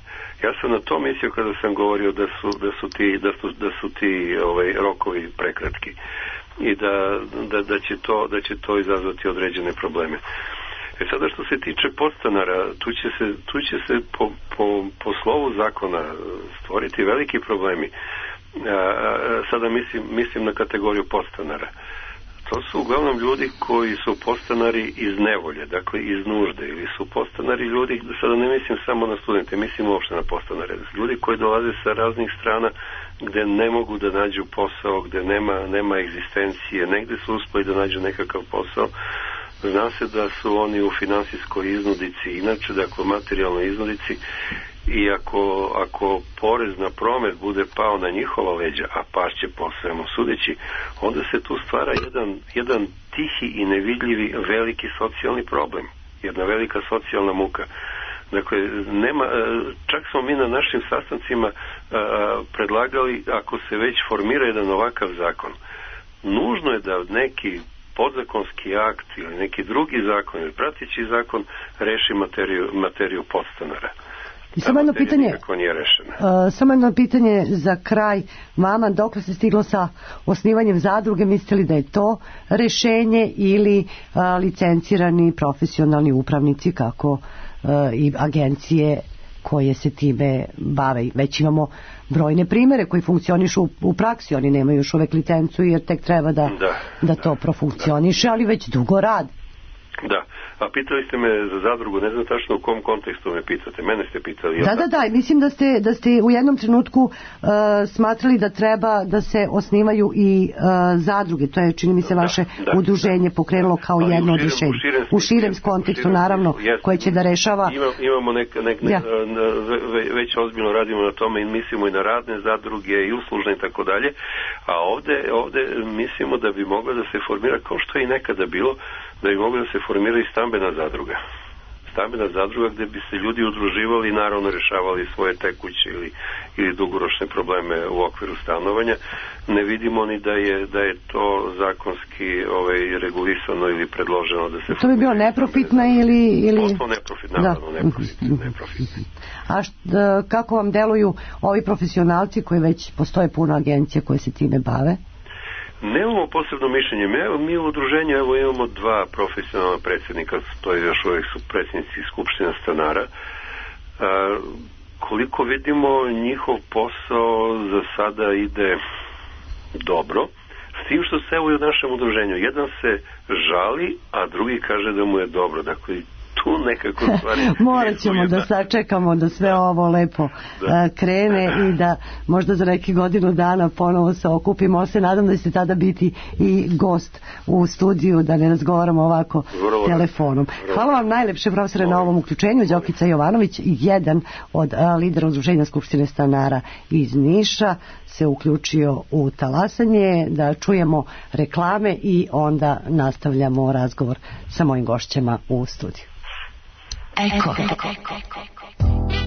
Ja sam na to mislio kada sam govorio da su, da su ti, da su, da su ti ovaj, rokovi prekratki i da, da, da, će to, da će to izazvati određene probleme. E sada što se tiče podstanara, tu će se, tu će se po, po, po slovu zakona stvoriti veliki problemi. A, sada mislim, mislim na kategoriju podstanara. To su uglavnom ljudi koji su podstanari iz nevolje, dakle iz nužde, ili su podstanari ljudi, sada ne mislim samo na studente, mislim uopšte na podstanare, ljudi koji dolaze sa raznih strana gde ne mogu da nađu posao, gde nema, nema egzistencije, negde su uspeli da nađu nekakav posao. Zna se da su oni u finansijskoj iznudici, inače, dakle materijalnoj iznudici, i ako, ako porez na promet bude pao na njihova leđa, a pašće po svemu sudeći, onda se tu stvara jedan, jedan tihi i nevidljivi veliki socijalni problem, jedna velika socijalna muka. Dakle, nema, čak smo mi na našim sastancima a, predlagali, ako se već formira jedan ovakav zakon, nužno je da neki podzakonski akt ili neki drugi zakon ili prateći zakon reši materiju, materiju podstanara. I samo jedno pitanje, uh, samo jedno pitanje za kraj vama, dokle se stiglo sa osnivanjem zadruge, mislite li da je to rešenje ili uh, licencirani profesionalni upravnici kako uh, i agencije koje se time bave? Već imamo brojne primere koji funkcionišu u, u praksi, oni nemaju još uvek licencu jer tek treba da, da, da to profunkcioniše, ali već dugo radi. Da, a pitali ste me za zadrugu, ne znam tačno u kom kontekstu me pitate, mene ste pitali. Da, da, da, mislim da ste, da ste u jednom trenutku uh, smatrali da treba da se osnivaju i uh, zadruge, to je čini mi se vaše da, da, udruženje pokrenulo kao ali jedno od rješenja. U širem kontekstu naravno, jest, koje će da rešava. Ima, imamo nek, nek, ja. ne, već ozbiljno radimo na tome i mislimo i na radne zadruge i uslužne i tako dalje, a ovde, ovde mislimo da bi mogla da se formira kao što je i nekada bilo, da bi mogla da se formira i stambena zadruga. Stambena zadruga gde bi se ljudi udruživali i naravno rešavali svoje tekuće ili, ili dugoročne probleme u okviru stanovanja. Ne vidimo ni da je, da je to zakonski ovaj, regulisano ili predloženo da se... To bi bilo neprofitno ili... ili... Potpuno neprofitno, naravno, da. neprofitno. neprofitno. A št, kako vam deluju ovi profesionalci koji već postoje puno agencija koje se time bave? Nemamo posebno mišljenje. Mi, mi u udruženju evo imamo dva profesionalna predsjednika, to je još uvijek su predsjednici Skupština stanara. A, koliko vidimo, njihov posao za sada ide dobro, s tim što se evo i u našem udruženju. Jedan se žali, a drugi kaže da mu je dobro. Dakle, tu nekako stvari... Morat ćemo da sačekamo da sve ovo lepo da. krene i da možda za neki godinu dana ponovo se okupimo. Se nadam da ćete tada biti i gost u studiju, da ne razgovaramo ovako vrlo telefonom. Vrlo. Hvala vam najlepše, profesore, na ovom uključenju. Đokica Jovanović, jedan od a, lidera Udruženja Skupštine stanara iz Niša, se uključio u talasanje. Da čujemo reklame i onda nastavljamo razgovor sa mojim gošćama u studiju. Eko.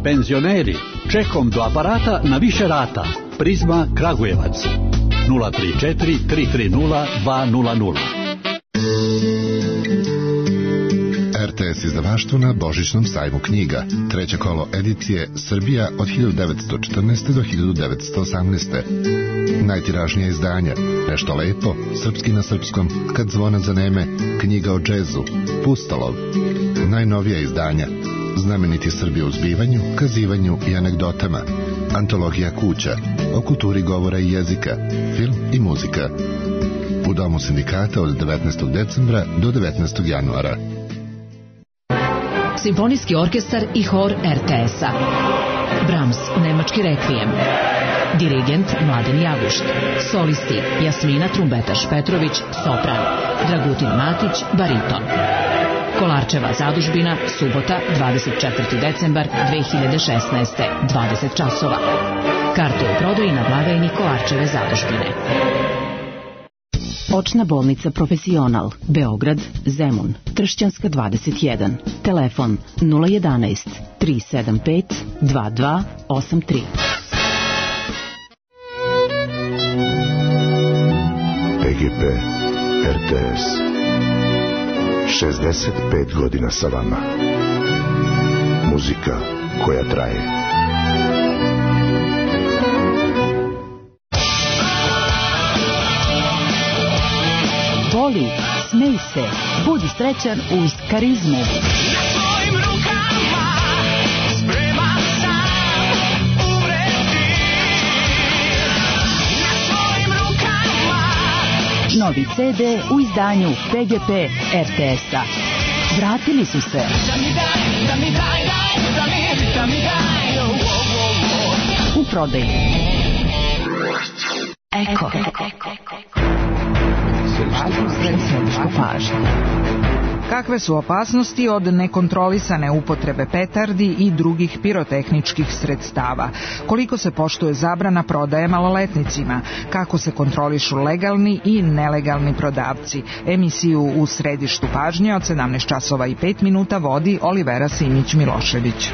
Penzioneri, čekom do aparata na više rata. Prizma Kragujevac nula tri četiri tri tri nula dva nula nula. R T S izdavaštvo na Božićnom sajmu knjiga. Treće kolo edicije Srbija od hiljadu devetsto četrnaeste. do hiljadu devetsto osamnaeste. Najtiražnija izdanja. Nešto lepo, srpski na srpskom, Kad zvona zaneme, knjiga o džezu, Pustolov. Najnovija izdanja. Znameniti Srbi u zbivanju, kazivanju i anegdotama. Antologija kuća, o kulturi govora i jezika, film i muzika. U Domu sindikata od devetnaestog decembra do devetnaestog januara. Simfonijski orkestar i hor R T S-a. Brahms, nemački rekvijem. Dirigent Mladen Jagušt. Solisti Jasmina Trumbetaš Petrović, sopran. Dragutin Matić, bariton. Kolarčeva zadužbina, subota, dvadeset četvrti decembar dve hiljade šesnaeste. dvadeset časova. Karte u prodaji na blagajni Kolarčeve zadužbine. Očna bolnica Profesional, Beograd, Zemun, Tršćanska dvadeset jedan. Telefon nula jedanaest tri sedam pet dva dva osam tri. P G P R T S šezdeset pet godina sa vama. Muzika koja traje. Voli, smej se, budi srećan uz Karizmu. Novi C D u izdanju P G P R T S-a. Vratili su se. U prodaju. Eko. Središnju pažnju. Kakve su opasnosti od nekontrolisane upotrebe petardi i drugih pirotehničkih sredstava? Koliko se poštuje zabrana prodaje maloletnicima? Kako se kontrolišu legalni i nelegalni prodavci? Emisiju u središtu pažnje od sedamnaest časova i pet minuta vodi Olivera Simić-Milošević.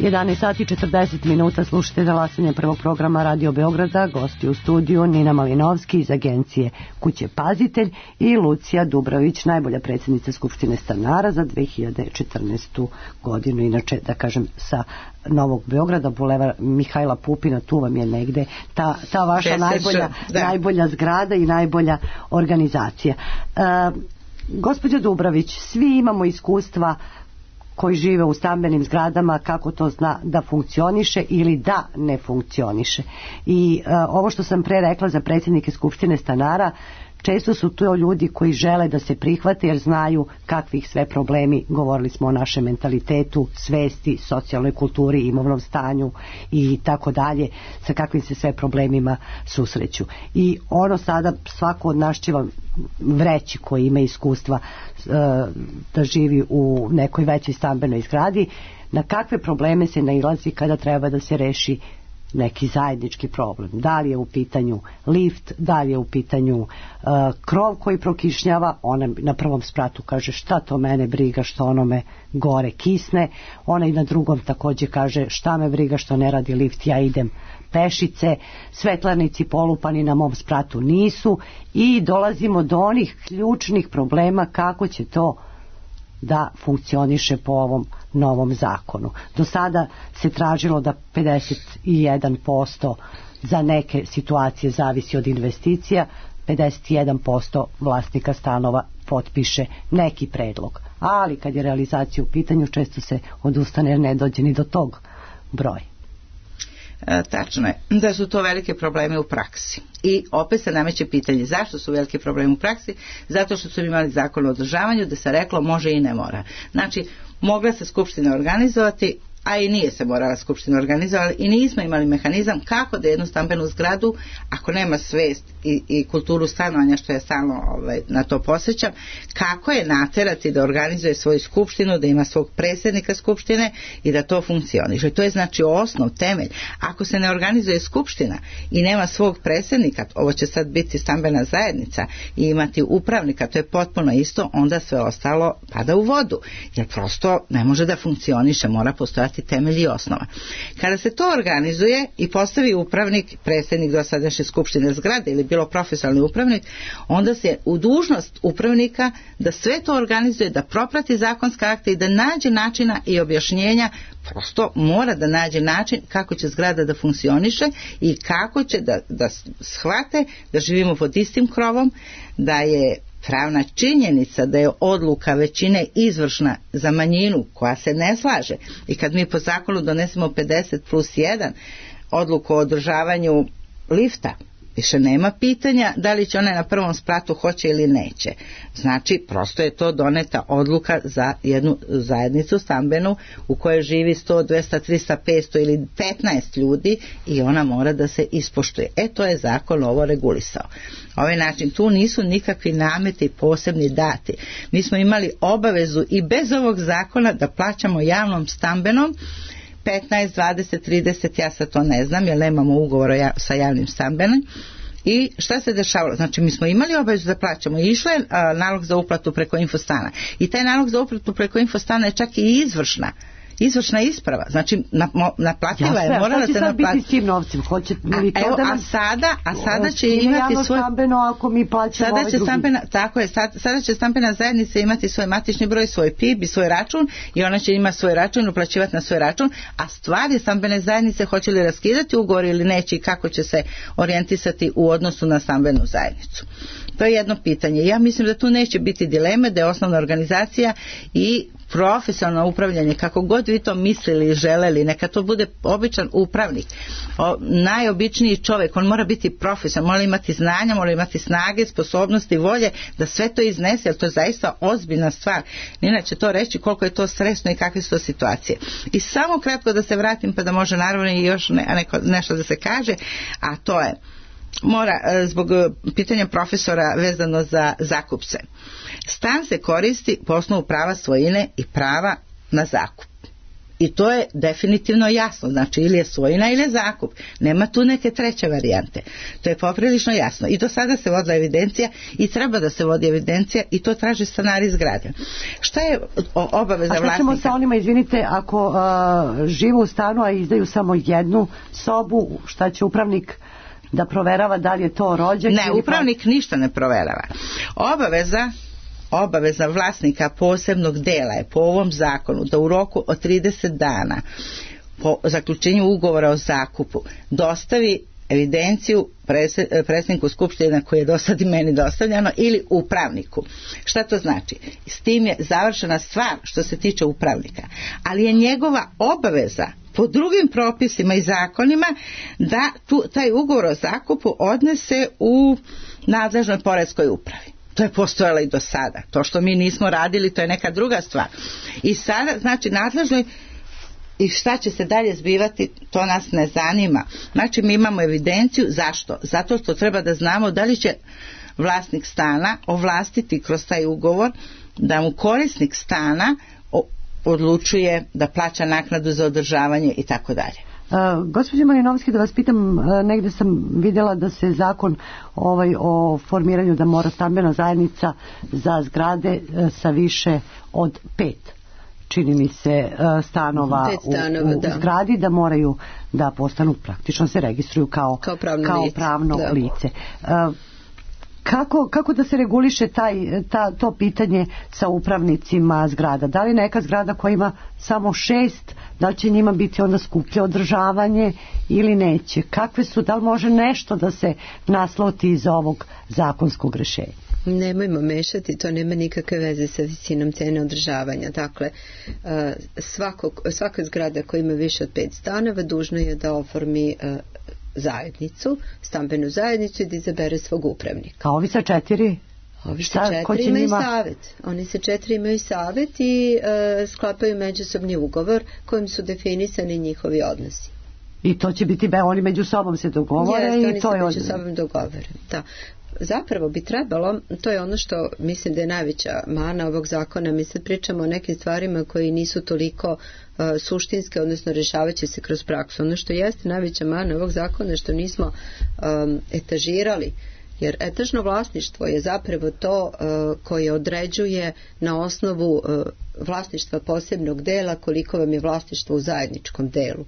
jedanaest sati i četrdeset minuta, slušate Talasanje prvog programa Radio Beograda. Gosti u studiju Nina Malinovski iz agencije Kuće Pazitelj i Lucija Dubrović, najbolja predsjednica Skupštine stanara za dve hiljade četrnaestu godinu. Inače, da kažem, sa Novog Beograda, bulevar Mihajla Pupina, tu vam je negde ta, ta vaša najbolja, najbolja zgrada i najbolja organizacija. E, gospođa Dubrović, svi imamo iskustva koji žive u stambenim zgradama, kako to zna da funkcioniše ili da ne funkcioniše. I uh, ovo što sam pre rekla za predsjednike Skupštine stanara, često su to ljudi koji žele da se prihvate jer znaju kakvih sve problemi, govorili smo o našem mentalitetu, svesti, socijalnoj kulturi, imovnom stanju i tako dalje, sa kakvim se sve problemima susreću. I ono sada svako od nas će vam vreći koji ima iskustva uh, da živi u nekoj većoj stambenoj zgradi, na kakve probleme se nailazi kada treba da se reši neki zajednički problem. Da li je u pitanju lift, da li je u pitanju uh, krov koji prokišnjava, ona na prvom spratu kaže šta to mene briga što onome gore kisne, ona i na drugom također kaže šta me briga što ne radi lift, ja idem pešice, svetlarnici polupani na mom spratu nisu i dolazimo do onih ključnih problema kako će to da funkcioniše po ovom novom zakonu. Do sada se tražilo da pedeset jedan posto za neke situacije zavisi od investicija, pedeset jedan posto vlasnika stanova potpiše neki predlog. Ali kad je realizacija u pitanju, često se odustane jer ne dođe ni do tog broja. E, tačno je da su to velike probleme u praksi i opet se nameće pitanje zašto su veliki problemi u praksi. Zato što su imali zakon o održavanju da se reklo može i ne mora. Znači mogla se skupština organizovati, a i nije se morala skupština organizovati i nismo imali mehanizam kako da jednu stambenu zgradu, ako nema svest i, i kulturu stanovanja, što ja stalno ovaj, na to posjećam, kako je naterati da organizuje svoju skupštinu, da ima svog predsjednika skupštine i da to funkcioniše. To je znači osnov, temelj. Ako se ne organizuje skupština i nema svog predsjednika, ovo će sad biti stambena zajednica i imati upravnika, to je potpuno isto, onda sve ostalo pada u vodu. Jer prosto ne može da funkcioniše, mora postojati temelj i osnova. Kada se to organizuje i postavi upravnik, predsjednik dosadašnje skupštine zgrade ili bilo profesionalni upravnik, onda se u dužnost upravnika da sve to organizuje, da proprati zakonske akte i da nađe načina i objašnjenja, prosto mora da nađe način kako će zgrada da funkcioniše i kako će da, da shvate da živimo pod istim krovom, da je pravna činjenica da je odluka većine izvršna za manjinu koja se ne slaže i kad mi po zakonu donesemo pedeset plus jedan odluku o održavanju lifta Više nema pitanja da li će one na prvom spratu hoće ili neće. Znači, prosto je to doneta odluka za jednu zajednicu stambenu u kojoj živi sto, dvesta, trista, petsto ili petnaest ljudi i ona mora da se ispoštuje. E, to je zakon ovo regulisao. Ovaj način, tu nisu nikakvi nameti posebni dati. Mi smo imali obavezu i bez ovog zakona da plaćamo javnom stambenom petnaest, dvadeset, trideset, ja sad to ne znam jer nemamo ugovora sa javnim stambenom. I šta se dešavalo? Znači, mi smo imali obavezu da plaćamo i išlo je a, nalog za uplatu preko infostana. I taj nalog za uplatu preko infostana je čak i izvršna. Izvršna isprava, znači naplativa je, morala se naplatiti. Šta će sad biti s tim novcem? Hoće li to evo, da nam... a sada, a sada će imati svoj... stambeno ako mi plaćamo sada ovaj će drugi. Stambena, tako je, sad, sada će stambena zajednica imati svoj matični broj, svoj P I B i svoj račun i ona će imati svoj račun i uplaćivati na svoj račun, a stvar je stambene zajednice hoće li raskidati ugovor ili neće i kako će se orijentisati u odnosu na stambenu zajednicu. To je jedno pitanje. Ja mislim da tu neće biti dileme, da je osnovna organizacija i profesionalno upravljanje, kako god vi to mislili i želeli, neka to bude običan upravnik, o, najobičniji čovjek, on mora biti profesionalno, mora imati znanja, mora imati snage, sposobnosti, volje, da sve to iznese, jer to je zaista ozbiljna stvar. Nina će to reći koliko je to stresno i kakve su to situacije. I samo kratko da se vratim, pa da može naravno i još ne, neko, nešto da se kaže, a to je mora, zbog pitanja profesora vezano za zakupce. Stan se koristi po osnovu prava svojine i prava na zakup. I to je definitivno jasno, znači ili je svojina ili je zakup. Nema tu neke treće varijante. To je poprilično jasno. I do sada se vodila evidencija i treba da se vodi evidencija i to traže stanari zgrade. Šta je obaveza vlasnika? A šta ćemo sa onima, izvinite, ako uh, žive u stanu, a izdaju samo jednu sobu, šta će upravnik da proverava da li je to rođak? Ne, upravnik pa... ništa ne proverava. Obaveza obaveza vlasnika posebnog dela je po ovom zakonu da u roku od trideset dana po zaključenju ugovora o zakupu dostavi evidenciju predsjedniku skupštine koji je do sad i meni dostavljeno ili upravniku. Šta to znači? S tim je završena stvar što se tiče upravnika, ali je njegova obaveza po drugim propisima i zakonima da tu, taj ugovor o zakupu odnese u nadležnoj poreskoj upravi. To je postojalo i do sada. To što mi nismo radili, to je neka druga stvar. I sada, znači, nadležnoj i šta će se dalje zbivati, to nas ne zanima. Znači, mi imamo evidenciju. Zašto? Zato što treba da znamo da li će vlasnik stana ovlastiti kroz taj ugovor da mu korisnik stana odlučuje da plaća naknadu za održavanje i tako dalje. Uh, gospođo Malinovski, da vas pitam, uh, negde sam vidjela da se zakon ovaj o formiranju da mora stambena zajednica za zgrade uh, sa više od pet, čini mi se, uh, stanova, stanova u, u, da. u zgradi, da moraju da postanu, praktično se registruju kao, kao pravno kao lice. Pravno Da. lice. Uh, Kako, kako da se reguliše taj, ta, to pitanje sa upravnicima zgrada? Da li neka zgrada koja ima samo šest, da li će njima biti onda skuplje održavanje ili neće? Kakve su, da li može nešto da se nasloti iz ovog zakonskog rješenja? Nemojmo mešati, to nema nikakve veze sa visinom cene održavanja. Dakle, svakog, svaka zgrada koja ima više od pet stanova dužna je da oformi zajednicu, stambenu zajednicu i da izabere svog upravnika. A ovi sa četiri? Ovi sa četiri imaju njima... savjet. Oni sa četiri imaju savjet i e, sklapaju međusobni ugovor kojim su definisani njihovi odnosi. I to će biti, be, oni među sobom se dogovore. Jeste, i oni to se je među od... sobom dogovore. Da. Zapravo bi trebalo, to je ono što mislim da je najveća mana ovog zakona, mi sad pričamo o nekim stvarima koji nisu toliko uh, suštinske, odnosno rješavat će se kroz praksu. Ono što jeste najveća mana ovog zakona što nismo um, etažirali, jer etažno vlasništvo je zapravo to uh, koje određuje na osnovu uh, vlasništva posebnog dela koliko vam je vlasništvo u zajedničkom delu.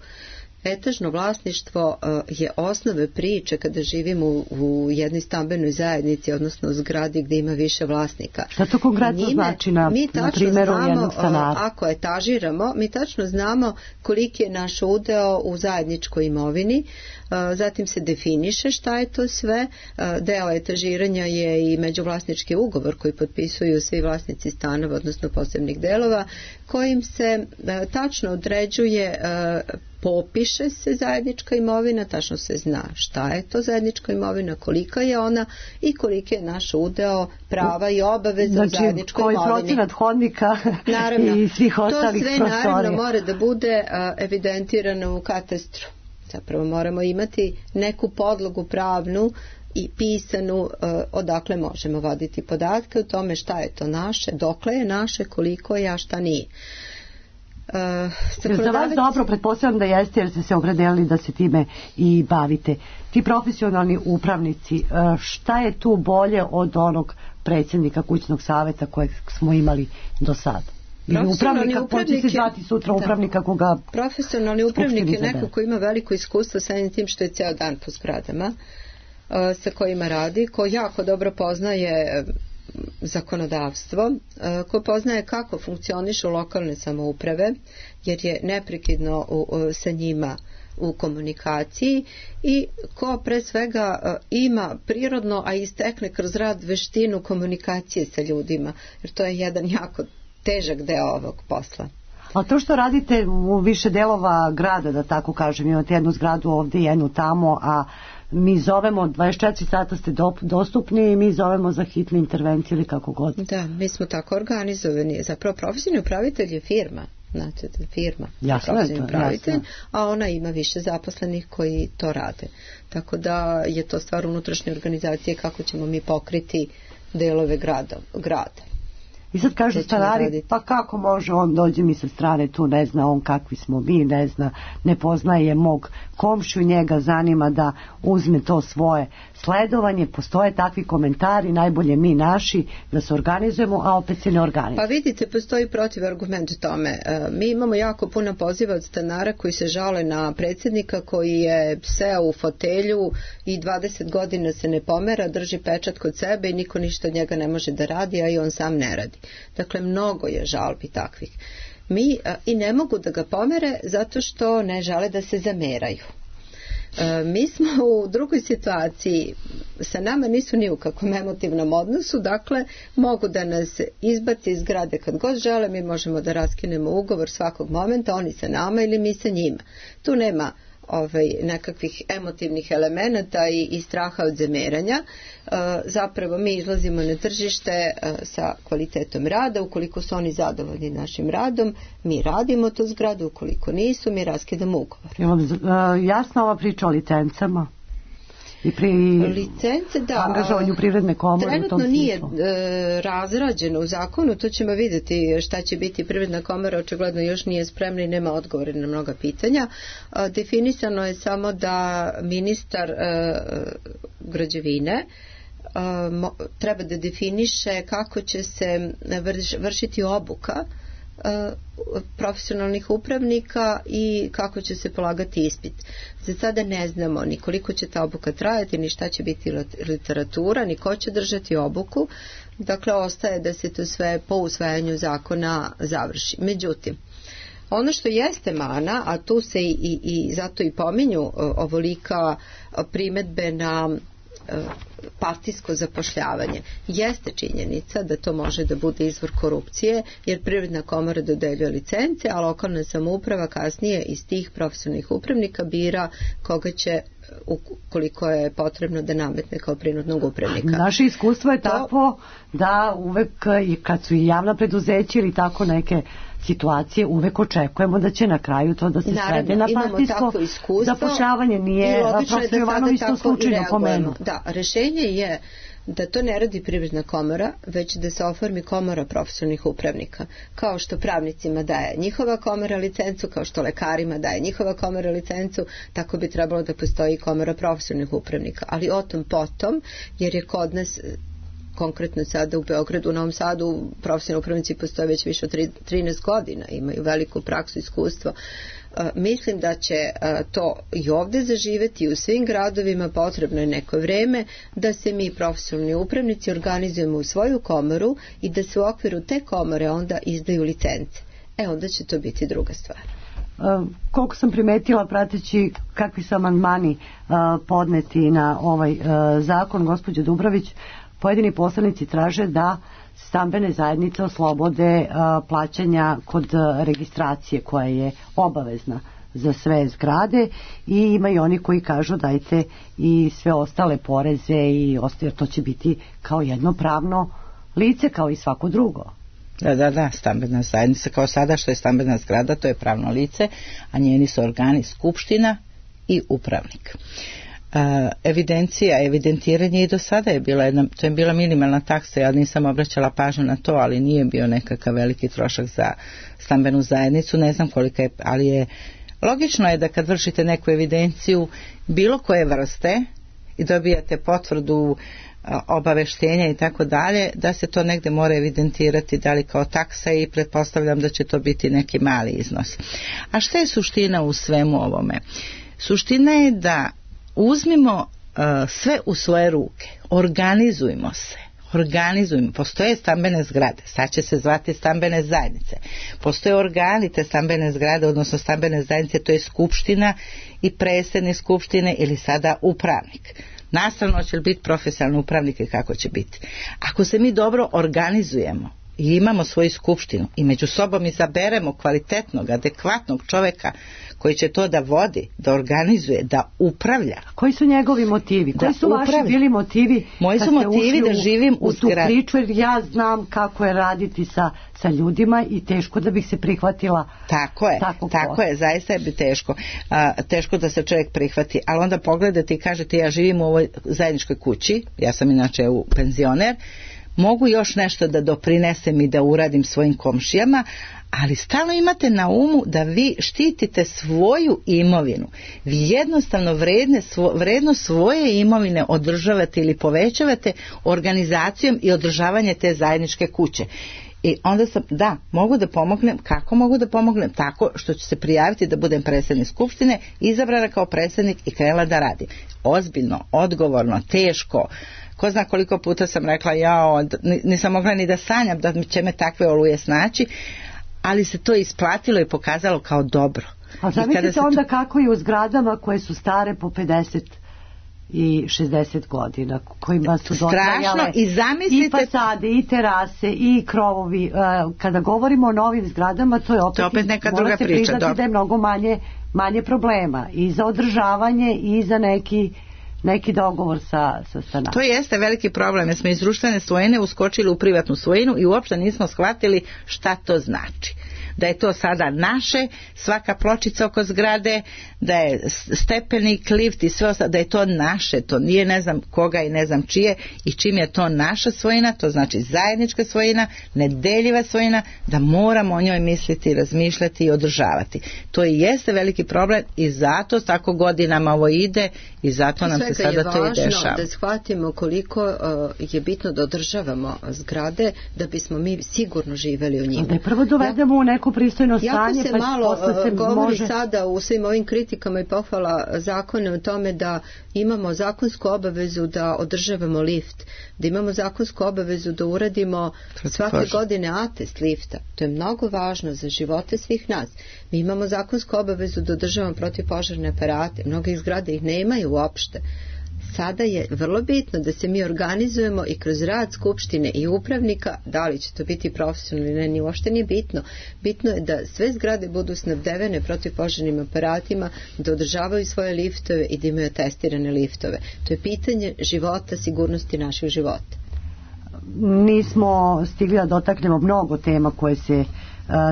Etažno vlasništvo uh, je osnove priče kada živimo u, u jednoj stambenoj zajednici, odnosno zgradi gdje ima više vlasnika. Šta to konkretno Njime, znači na, na primjeru znamo, jednog stanara? Uh, ako etažiramo, mi tačno znamo koliki je naš udeo u zajedničkoj imovini, uh, zatim se definiše šta je to sve. Uh, deo etažiranja je i međuvlasnički ugovor koji potpisuju svi vlasnici stanova, odnosno posebnih delova, kojim se uh, tačno određuje uh, popiše se zajednička imovina, tačno se zna šta je to zajednička imovina, kolika je ona i koliki je naš udeo prava i obaveza znači, u zajedničkoj koji imovini. procenat hodnika naravno, i svih ostalih prostorija. To sve prostorija. naravno mora da bude a, evidentirano u katastru. Zapravo moramo imati neku podlogu pravnu i pisanu uh, odakle možemo voditi podatke o tome šta je to naše, dokle je naše, koliko je, a šta nije. Uh, Za vas dobro, pretpostavljam da jeste jer ste se opredelili da se time i bavite. Ti profesionalni upravnici, uh, šta je tu bolje od onog predsjednika kućnog savjeta kojeg smo imali do sada? Ili upravnika, poći se zvati sutra da. upravnika koga... Profesionalni upravnik je neko ko ima veliko iskustvo sa tim što je ceo dan po zgradama, sa kojima radi, ko jako dobro poznaje zakonodavstvo, ko poznaje kako funkcionišu lokalne samouprave, jer je neprekidno u, sa njima u komunikaciji i ko pre svega ima prirodno, a istekne kroz rad veštinu komunikacije sa ljudima, jer to je jedan jako težak deo ovog posla. A to što radite u više delova grada, da tako kažem, imate jednu zgradu ovdje, jednu tamo, a mi zovemo, dvadeset četiri sata ste dostupni i mi zovemo za hitne intervencije ili kako god. Da, mi smo tako organizovani. Zapravo profesionalni upravitelj je firma. Znači, firma. Jasno je to, upravitelj, jasno. A ona ima više zaposlenih koji to rade. Tako da je to stvar unutrašnje organizacije kako ćemo mi pokriti delove grada. grada. I sad kažu stanari, pa kako može, on dođe mi sa strane tu, ne zna on kakvi smo mi, ne zna, ne poznaje mog komšiju, njega zanima da uzme to svoje sledovanje, postoje takvi komentari, najbolje mi naši da se organizujemo, a opet se ne organizujemo. Pa vidite, postoji protivargument tome. Mi imamo jako puno poziva od stanara koji se žale na predsjednika koji je seo u fotelju i dvadeset godina se ne pomera, drži pečat kod sebe i niko ništa od njega ne može da radi, a i on sam ne radi. Dakle, mnogo je žalbi takvih. Mi a, i ne mogu da ga pomere zato što ne žele da se zameraju. E, mi smo u drugoj situaciji, sa nama nisu ni u kakvom emotivnom odnosu, dakle mogu da nas izbaci iz zgrade kad god žele, mi možemo da raskinemo ugovor svakog momenta, oni sa nama ili mi sa njima. Tu nema ovaj, nekakvih emotivnih elemenata i, i straha od zameranja. E, zapravo mi izlazimo na tržište e, sa kvalitetom rada, ukoliko su oni zadovoljni našim radom, mi radimo tu zgradu, ukoliko nisu, mi raskidamo ugovor. Imam e, jasna ova priča o licencama i pri licence, da, angažovanju privredne komore. Trenutno nije e, razrađeno u zakonu, to ćemo vidjeti šta će biti. Privredna komora očigledno još nije spremna i nema odgovore na mnoga pitanja. E, definisano je samo da ministar e, građevine e, mo, treba da definiše kako će se vrš, vršiti obuka profesionalnih upravnika i kako će se polagati ispit. Za sada ne znamo ni koliko će ta obuka trajati, ni šta će biti literatura, ni ko će držati obuku. Dakle, ostaje da se to sve po usvajanju zakona završi. Međutim, ono što jeste mana, a tu se i, i, i zato i pominju ovolika primetbe na partijsko zapošljavanje, jeste činjenica da to može da bude izvor korupcije, jer privredna komora dodeljuje licence, a lokalna samouprava kasnije iz tih profesionalnih upravnika bira koga će, ukoliko je potrebno, da nametne kao prinudnog upravnika. Naše iskustvo je to takvo da uvek, kad su i javna preduzeća ili tako neke situacije, uvek očekujemo da će na kraju to da se Naravno, svede na partijsko zapošljavanje. Nije profesor Jovanović to slučajno pomenuo. Da, rešenje je da to ne radi privredna komora, već da se oformi komora profesionalnih upravnika. Kao što pravnicima daje njihova komora licencu, kao što lekarima daje njihova komora licencu, tako bi trebalo da postoji komora profesionalnih upravnika. Ali o tom potom, jer je kod nas konkretno sada u Beogradu, u Novom Sadu, profesionalni upravnici postoje već više od trinaest godina, imaju veliku praksu i iskustvo. Uh, mislim da će uh, to i ovdje zaživeti i u svim gradovima. Potrebno je neko vreme da se mi profesionalni upravnici organizujemo u svoju komoru i da se u okviru te komore onda izdaju licence. E, onda će to biti druga stvar. Uh, koliko sam primetila prateći kakvi su amandmani uh, podneti na ovaj uh, zakon, gospođo Dubrović, pojedini poslanici traže da stambene zajednice oslobode a, plaćanja kod a, registracije koja je obavezna za sve zgrade i ima i oni koji kažu dajte i sve ostale poreze i ostaje, to će biti kao jedno pravno lice kao i svako drugo. Da, da, da, stambena zajednica kao sada što je stambena zgrada, to je pravno lice, a njeni su organi skupština i upravnik. Uh, evidencija, evidentiranje i do sada je bila jedna, to je bila minimalna taksa, ja nisam obraćala pažnju na to, ali nije bio nekakav veliki trošak za stambenu zajednicu, ne znam kolika je, ali je logično je da kad vršite neku evidenciju bilo koje vrste i dobijate potvrdu obaveštenja i tako dalje, da se to negde mora evidentirati, da li kao taksa, i pretpostavljam da će to biti neki mali iznos. A šta je suština u svemu ovome? Suština je da uzmimo uh, sve u svoje ruke, organizujmo se, organizujmo, postoje stambene zgrade, sad će se zvati stambene zajednice, postoje organi te stambene zgrade, odnosno stambene zajednice, to je skupština i predsednik skupštine ili sada upravnik. Nastavno će li biti profesionalni upravnik i kako će biti. Ako se mi dobro organizujemo i imamo svoju skupštinu i među sobom izaberemo kvalitetnog, adekvatnog čoveka koji će to da vodi, da organizuje, da upravlja. Koji su njegovi motivi? Koji su vaši bili motivi? Moji su motivi da živim u, u tu priču, jer ja znam kako je raditi sa, sa ljudima i teško da bih se prihvatila. Tako je, tako je, zaista je bi teško. A, teško da se čovjek prihvati, ali onda pogledate i kažete ja živim u ovoj zajedničkoj kući, ja sam inače u penzioner, mogu još nešto da doprinesem i da uradim svojim komšijama, ali stalno imate na umu da vi štitite svoju imovinu. Vi jednostavno vredne, svo, vredno svoje imovine održavate ili povećavate organizacijom i održavanje te zajedničke kuće. I onda sam, da, mogu da pomognem. Kako mogu da pomognem? Tako što ću se prijaviti da budem predsjednik skupštine, izabrana kao predsjednik i krenula da radim. Ozbiljno, odgovorno, teško. Ko zna koliko puta sam rekla, ja nisam mogla ni da sanjam da će me takve oluje snaći, ali se to isplatilo i pokazalo kao dobro. A zamislite se onda to... kako je u zgradama koje su stare po pedeset i šezdeset godina, kojima su dotrajale i, zamislite... i fasade, i terase, i krovovi. Kada govorimo o novim zgradama, to je opet, to opet neka druga priča. Morate priznati da je mnogo manje, manje problema i za održavanje i za neki neki dogovor sa, sa stanarom. To jeste veliki problem, jer smo iz društvene svojine uskočili u privatnu svojinu i uopšte nismo shvatili šta to znači. Da je to sada naše, svaka pločica oko zgrade, da je stepenik, lift i sve ostalo, da je to naše, to nije ne znam koga i ne znam čije, i čim je to naša svojina, to znači zajednička svojina, nedeljiva svojina, da moramo o njoj misliti, razmišljati i održavati. To i jeste veliki problem i zato tako godinama ovo ide i zato nam se sada to i dešava. Svega je važno da shvatimo koliko uh, je bitno da održavamo zgrade da bismo mi sigurno živeli u njima. Da je prvo dovedemo ja, u neko pristojno stanje, jako se pa malo se govori može... sada u svim ovim kritikama i pohvala zakone o tome da imamo zakonsku obavezu da održavamo lift, da imamo zakonsku obavezu da uradimo svake godine atest lifta. To je mnogo važno za živote svih nas. Mi imamo zakonsku obavezu da održavamo protivpožarne aparate. Mnoge zgrade ih nemaju uopšte. Sada je vrlo bitno da se mi organizujemo i kroz rad skupštine i upravnika, da li će to biti profesionalno ili ne, ni uopšte nije bitno. Bitno je da sve zgrade budu snabdevene protivpožarnim aparatima, da održavaju svoje liftove i da imaju testirane liftove. To je pitanje života, sigurnosti naših života. Nismo stigli da dotaknemo mnogo tema koje se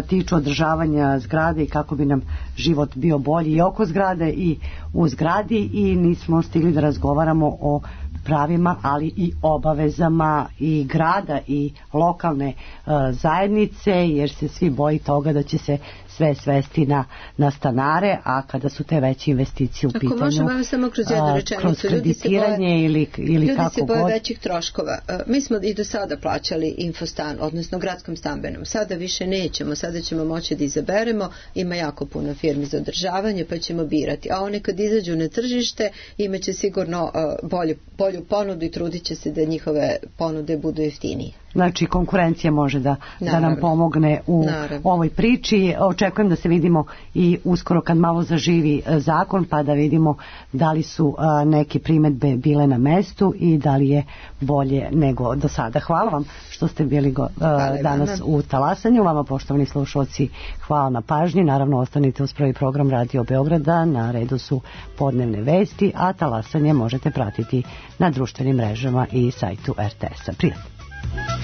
tiču održavanja zgrade i kako bi nam život bio bolji i oko zgrade i u zgradi, i nismo stigli da razgovaramo o pravima, ali i obavezama i grada i lokalne uh, zajednice, jer se svi boji toga da će se sve svesti na, na stanare, a kada su te veće investicije u Ako pitanju, možemo samo kroz jednu rečenicu, kroz kreditiranje boje, ili, ili ljudi kako se boje god. većih troškova. Uh, mi smo i do sada plaćali infostan, odnosno gradskom stambenom. Sada više nećemo, sada ćemo moći da izaberemo, ima jako puno firmi za održavanje, pa ćemo birati. A one kad izađu na tržište, imaće sigurno uh, bolju, bolju ponudu i trudit će se da njihove ponude budu jeftinije. znači konkurencija može da, da nam Naravno. pomogne u Naravno. ovoj priči. Očekujem da se vidimo i uskoro kad malo zaživi e, zakon, pa da vidimo da li su a, neke primedbe bile na mestu i da li je bolje nego do sada. Hvala vam što ste bili go, a, danas u Talasanju. Vama, poštovani slušalci, hvala na pažnji. Naravno, ostanite uz prvi program Radio Beograda. Na redu su podnevne vesti, a Talasanje možete pratiti na društvenim mrežama i sajtu er te es a. Prijatno.